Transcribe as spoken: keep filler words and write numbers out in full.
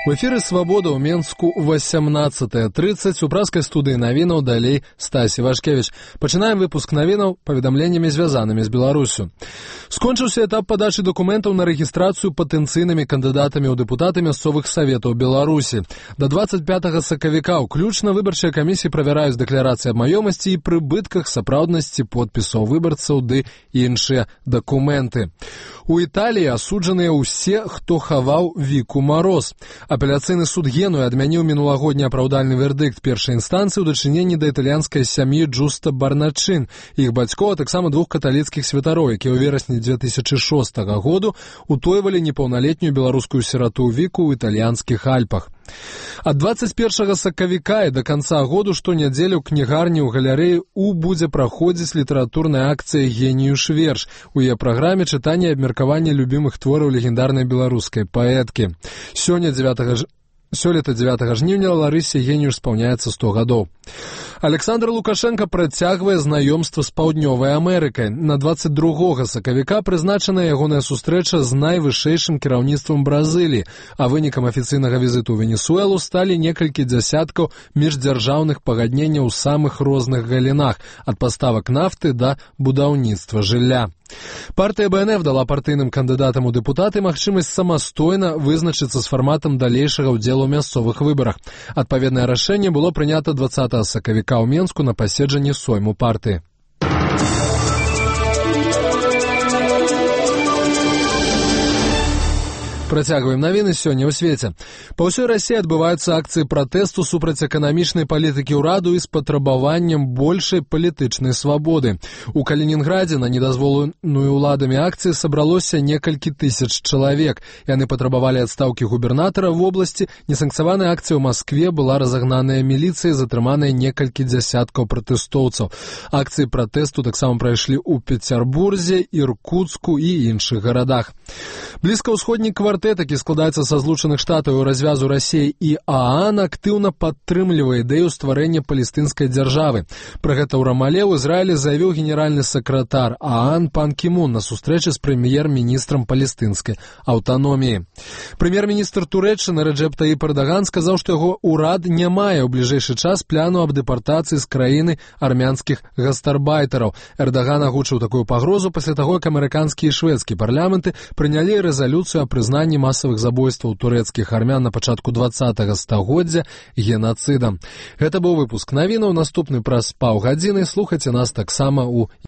У эфіры «Свабода» ў Менску восемнадцатая тридцать. У праскай студыі навінаў далей Стасі Вашкевіч. Пачынаем выпуск навінаў паведамленнямі, звязанымі з Беларусю. Скончыўся этап падачы дакументаў на рэгістрацыю патэнцыйнымі кандыдатамі ў дэпутаты мясцовых саветаў Беларусі. До двадцать пятага сакавіка ўключна выбарчыя камісіі правяраюць дэкларацыі аб маёмасці і прыбытках, сапраўднасці подпісаў выбарцаў ды іншыя дакументы. У Італіі асуджаныя ўсе, хто хаваў Віку Мароз. Апеляцыйны суд Генуі адмяніў мінулагодні апраўдальны вердыкт першай інстанцыі ў дачыненні да італьянскай сям'і Джуста Барначын, іх бацькоў, а таксама двух каталіцкіх святароў, якія ў верасні две тысячы шостага году утойвалі непаўналетнюю беларускую сірату Віку ў італьянскіх Альпах. Ад двадцать першага сакавіка і да канца году штонядзелю ў кнігарні ў галерэі У будзе праходзіць літаратурная акцыя «Геніюш верш». У яе праграме чытанне і абмеркаванне любімых твораў легендарнай беларускай паэткі. Сёння дзевятага ж... Сёлета дзевятага жніўня Ларысе Геніюш спаўняецца сто гадоў. Александр Лукашенко працягвае знаёмства з Паўднёвай Амерыкай. На двадцать другога сакавіка прызначаная ягоная сустрэча з найвышэйшым кіраўніцтвам Бразыліі, а вынікам афіцыйнага візіту ў Венесуэлу сталі некалькі дзясяткаў міждзяржаўных пагадненняў у самых розных галінах, ад паставак нафты да будаўніцтва жылля. Партыя Бэ Эн Эф дала партыйным кандыдатам у дэпутаты магчымасць самастойна вызначыцца з фарматам далейшага ўдзелу ў мясцовых выбарах. Адпаведнае рашэнне было прынята двадцатага сакавіка ў Менску на паседжанні сойму партыі. Працягваем навіны сёння ў свеце. Па ўсёй Расіі адбываюцца акцыі пратэсту супраць эканамічнай палітыкі ўраду і з патрабаваннем большай палітычнай свабоды. У Калінінградзе на недазволеную ўладамі акцыі сабралося некалькі тысяч чалавек. Яны патрабавалі адстаўкі губернатара в обласці. Несанкцыяваная акцыя ў Маскве была разагнаная міліцыяй, затрыманыя некалькі дзясяткаў пратэстоўцаў. Акцыі пратэсту таксама прайшлі ў Пецярбурзе, Іркуцку і іншых гарадах. Блізкаўсходні квартэт, які складаецца са Злучаных Штатаў і развязу Расіі і ААН, актыўна падтрымлівае ідэю стварэння палестынскай дзяржавы. Пра гэта ў Рамале ў Ізраілі заявіў генеральны сакратар ААН Пан Кі Мун на сустрэчы з прэм'ер-міністрам палестынскай аўтаноміі. Прэм'ер-міністр Турэччыны Рэджэп Таіп Эрдаган сказаў, што яго ўрад не мае ў бліжэйшы час пляну аб дэпартацыі з краіны армянскіх гастарбайтараў. Эрдаган агучыў такую пагрозу пасля таго, як амерыканскі і шведскі парламенты прынялі рэзалюцыю аб прызнанні масавых забойстваў турэцкіх армян на пачатку двадцатага стагоддзя генацыдам. Гэта быў выпуск навінаў. Наступны праз паўгадзіны. Слухайце нас таксама ў